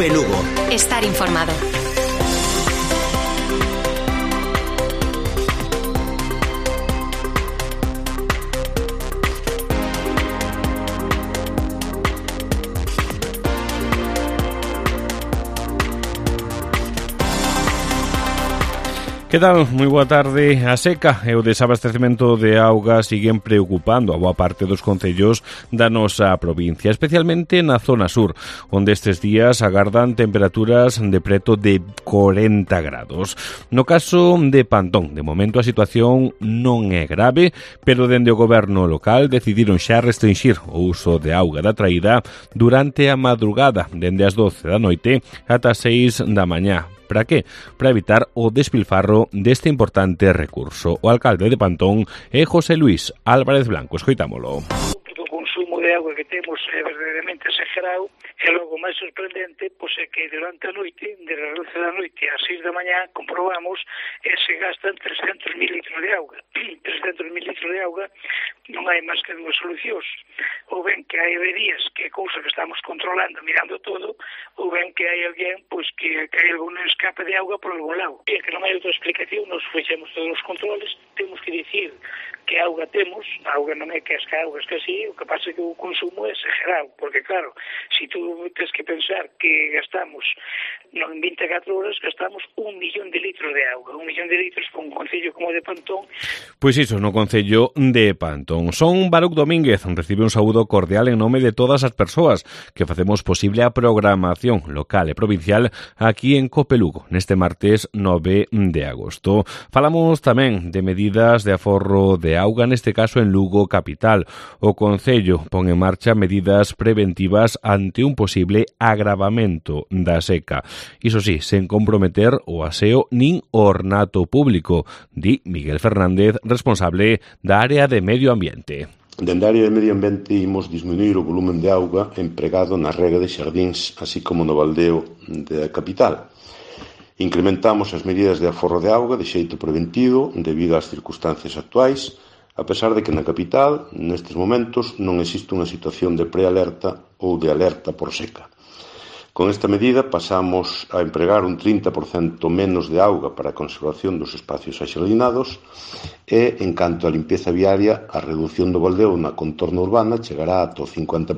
COPE Lugo. Estar informado. Que tal? Moi boa tarde. A seca e o desabastecemento de auga siguen preocupando a boa parte dos concellos da nosa provincia, especialmente na zona sur, onde estes días agardan temperaturas de preto de 40 grados. No caso de Pantón, de momento a situación non é grave, pero dende o goberno local decidiron xa restringir o uso de auga da traída durante a madrugada, dende as 12 da noite ata as 6 da mañá. Para que? Para evitar o despilfarro deste importante recurso. O alcalde de Pantón é José Luis Álvarez Blanco. Escoitámolo. O consumo de auga que temos é verdadeiramente exagerado e logo máis sorprendente pois é que durante a noite, de as 12 da noite ás 6 da mañá, comprobamos que se gastan 300.000 litros de auga. 300.000 litros de auga non hai máis que dúas solucións. Ou ben que hai averías, que é cousa que estamos controlando, mirando todo, ou ben que hai alguén pois que hai algún escape de auga por algún lado. E que non hai outra explicación, nos fixemos todos os controles, temos que dicir que auga temos, a auga non é que as augas que así, o que pasa é que o consumo é exagerado, porque claro, se tú tens que pensar que gastamos, en 24 horas gastamos 1 millón de litros de auga, 1 millón de litros para un concello como de Pantón. Pois iso, no concello de Pantón. Son Baruc Domínguez, recibe un saúdo cordial en nome de todas as persoas que facemos posible a programación local e provincial aquí en COPE Lugo, neste martes 9 de agosto. Falamos tamén de medidas de aforro de auga, neste caso en Lugo capital. O concello pon en marcha medidas preventivas ante un posible agravamento da seca. Iso sí, sen comprometer o aseo nin o ornato público, di Miguel Fernández, responsable da área de medio ambiente. Dende a área de medio ambiente imos disminuir o volumen de auga empregado na rega de xardíns, así como no baldeo da capital. Incrementamos as medidas de aforro de auga de xeito preventivo debido ás circunstancias actuais, a pesar de que na capital, nestes momentos, non existe unha situación de prealerta ou de alerta por seca. Con esta medida pasamos a empregar un 30% menos de auga para a conservación dos espacios axardinados e, en canto á limpieza viaria, a reducción do baldeo na contorna urbana chegará ata o 50%,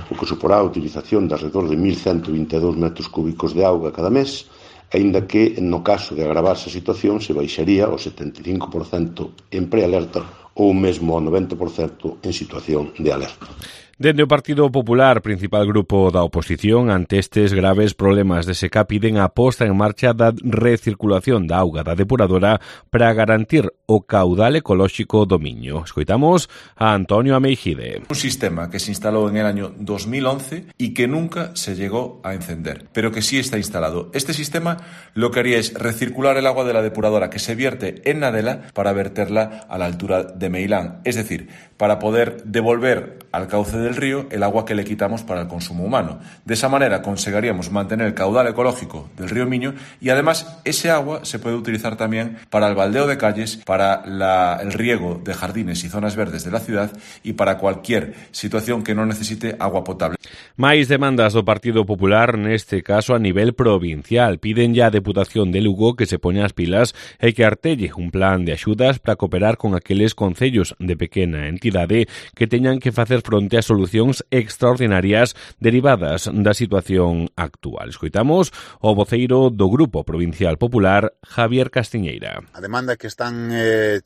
o que suporá a utilización de alrededor de 1.122 metros cúbicos de auga cada mes, aínda que, no caso de agravarse a situación, se baixaría ao 75% en prealerta ou mesmo ao 90% en situación de alerta. Dende o Partido Popular, principal grupo da oposición, ante estes graves problemas de seca, piden a posta en marcha da recirculación da auga da depuradora para garantir o caudal ecolóxico do Miño. Escoitamos a Antonio Ameijide. Un sistema que se instaló en el año 2011 y que nunca se llegó a encender, pero que sí está instalado. Este sistema lo que haría es recircular el agua de la depuradora que se vierte en Nadela para verterla a la altura de Meilán, es decir, para poder devolver al cauce del río el agua que le quitamos para el consumo humano. De esa manera conseguiríamos mantener el caudal ecológico del río Miño y además ese agua se puede utilizar también para el baldeo de calles, para el riego de jardines y zonas verdes de la ciudad y para cualquier situación que no necesite agua potable. Máis demandas do Partido Popular, neste caso a nivel provincial. Piden ya a Deputación de Lugo que se poña as pilas e que artelle un plan de axudas para cooperar con aqueles concellos de pequena entidade que teñan que facer fronte a solucións extraordinarias derivadas da situación actual. Escoitamos o voceiro do Grupo Provincial Popular, Javier Castiñeira. A demanda que están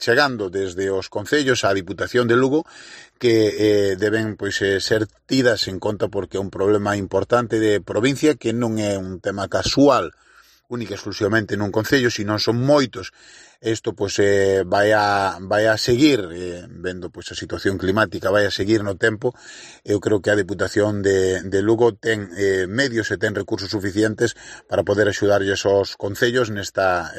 chegando desde os concellos á Diputación de Lugo que deben ser tidas en conta porque é un problema importante de provincia que non é un tema casual única e exclusivamente nun concello, sino son moitos. Isto vai a seguir vendo a situación climática, vai a seguir no tempo. Eu creo que a Deputación de Lugo ten medios e ten recursos suficientes para poder axudarlles aos concellos nesta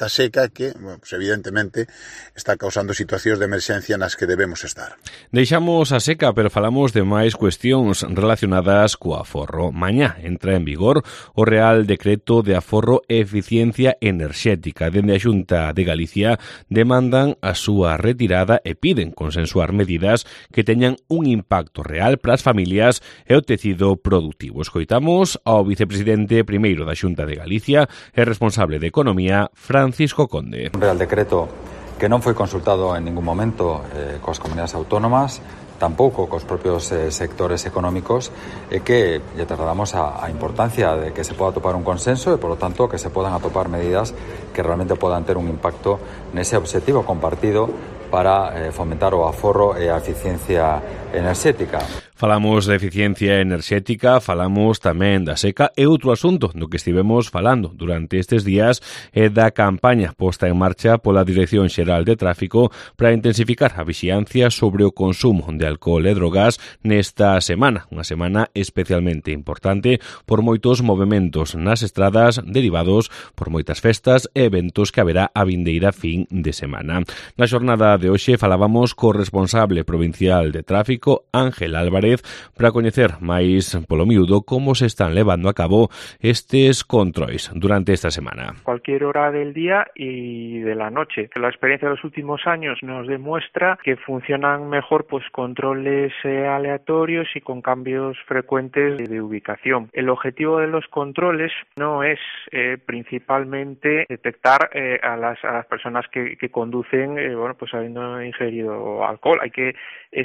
seca que, evidentemente, está causando situacións de emerxencia nas que debemos estar. Deixamos a seca, pero falamos de máis cuestións relacionadas co aforro. Mañá entra en vigor o Real Decreto de Aforro e Eficiencia Enerxética. Dende a Xunta Xunta de Galicia demandan a súa retirada e piden consensuar medidas que teñan un impacto real para as familias e o tecido productivo. Escoitamos ao vicepresidente primeiro da Xunta de Galicia e responsable de Economía, Francisco Conde. Un Real Decreto que non foi consultado en ningún momento coas comunidades autónomas, tampouco cos propios sectores económicos, e que lle trasladamos a importancia de que se poda atopar un consenso e, por lo tanto, que se podan atopar medidas que realmente podan ter un impacto nese obxectivo compartido para fomentar o aforro e a eficiencia enerxética. Falamos de eficiencia enerxética, falamos tamén da seca e outro asunto do que estivemos falando durante estes días é da campaña posta en marcha pola Dirección Xeral de Tráfico para intensificar a vixiancia sobre o consumo de alcohol e drogas nesta semana, unha semana especialmente importante por moitos movementos nas estradas derivados por moitas festas e eventos que haberá a vindeira fin de semana. Na xornada de hoxe falábamos co responsable provincial de tráfico, Ángel Álvarez, para coñecer máis polo miúdo como se están levando a cabo estes controis durante esta semana. Cualquier hora del día y de la noche. La experiencia de los últimos años nos demuestra que funcionan mejor controles aleatorios y con cambios frecuentes de ubicación. El objetivo de los controles no es principalmente detectar a las personas que conducen habiendo ingerido alcohol. Hay que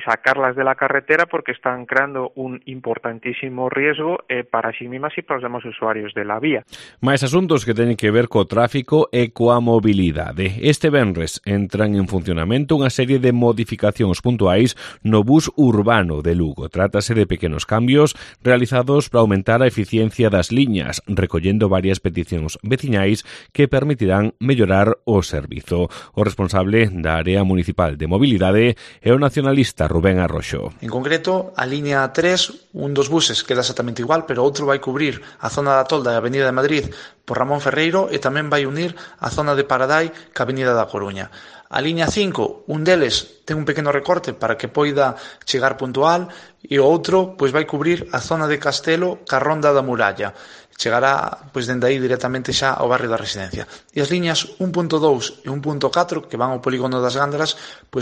sacarlas de la carretera porque están creando un importantísimo riesgo para sí mismas y para los demás usuarios de la vía. Máis asuntos que teñen que ver co tráfico e coa mobilidade. Este venres entran en funcionamento unha serie de modificacións puntuais no bus urbano de Lugo. Trátase de pequenos cambios realizados para aumentar a eficiencia das liñas, recollendo varias peticións veciñais que permitirán mellorar o servizo. O responsable da área municipal de mobilidade é o nacionalista Rubén Arroxo. En concreto, a liña 3, un dos buses queda exactamente igual, pero outro vai cubrir a zona da Tolda e a Avenida de Madrid por Ramón Ferreiro e tamén vai unir a zona de Paradai ca Avenida da Coruña. A liña 5, un deles ten un pequeno recorte para que poida chegar puntual e o outro vai cubrir a zona de Castelo ca Ronda da Muralla. Chegará dende aí directamente xa ao barrio da Residencia. E as liñas 1.2 e 1.4 que van ao polígono das Gándara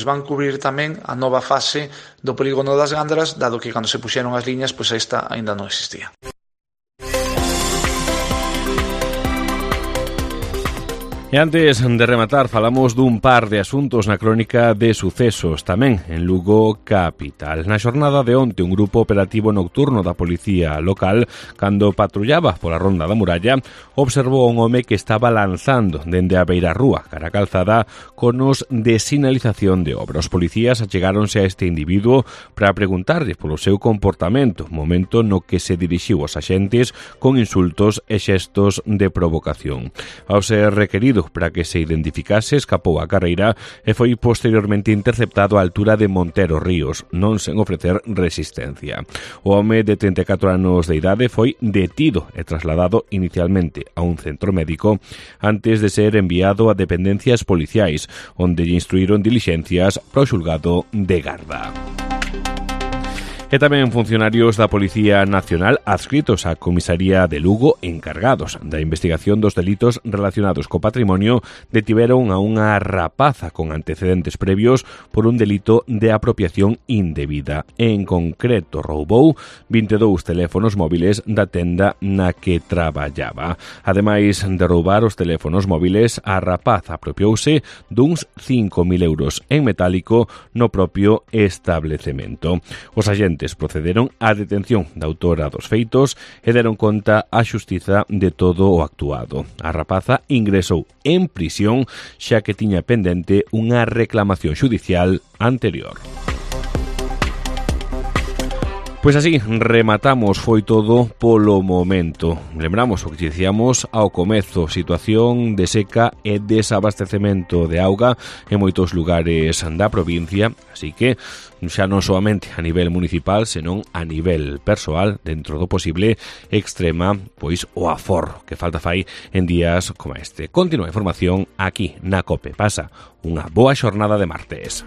van cubrir tamén a nova fase do polígono das Gándara, dado que cando se puxeron as liñas esta aínda non existía. E antes de rematar, falamos dun par de asuntos na crónica de sucesos tamén en Lugo capital. Na xornada de onte, un grupo operativo nocturno da policía local, cando patrullaba pola Ronda da Muralla, observou a un home que estaba lanzando dende a beirarrúa cara a calzada conos de sinalización de obra. Os policías achegáronse a este individuo para preguntarlle polo seu comportamento, momento no que se dirixiu aos axentes con insultos e xestos de provocación. Ao ser requerido para que se identificase, escapou a carreira e foi posteriormente interceptado á altura de Montero Ríos, non sen ofrecer resistencia. O home de 34 anos de idade foi detido e trasladado inicialmente a un centro médico antes de ser enviado a dependencias policiais, onde lle instruíron dilixencias para o xulgado de Garda. E tamén funcionarios da Policía Nacional adscritos á Comisaría de Lugo encargados da investigación dos delitos relacionados co patrimonio detiveron a unha rapaza con antecedentes previos por un delito de apropiación indebida. En concreto, roubou 22 teléfonos móviles da tenda na que traballaba. Ademais de roubar os teléfonos móviles, a rapaza apropiouse duns 5.000 euros en metálico no propio establecemento. Os agentes procederon á detención da autora dos feitos e deron conta á xustiza de todo o actuado. A rapaza ingresou en prisión xa que tiña pendente unha reclamación xudicial anterior. Pois así, rematamos, foi todo polo momento. Lembramos o que dicíamos ao comezo, situación de seca e desabastecemento de auga en moitos lugares da provincia, así que xa non soamente a nivel municipal, senón a nivel persoal, dentro do posible, extrema pois o aforro que falta fai en días como este. Continúa a información aquí na COPE. Pasa unha boa xornada de martes.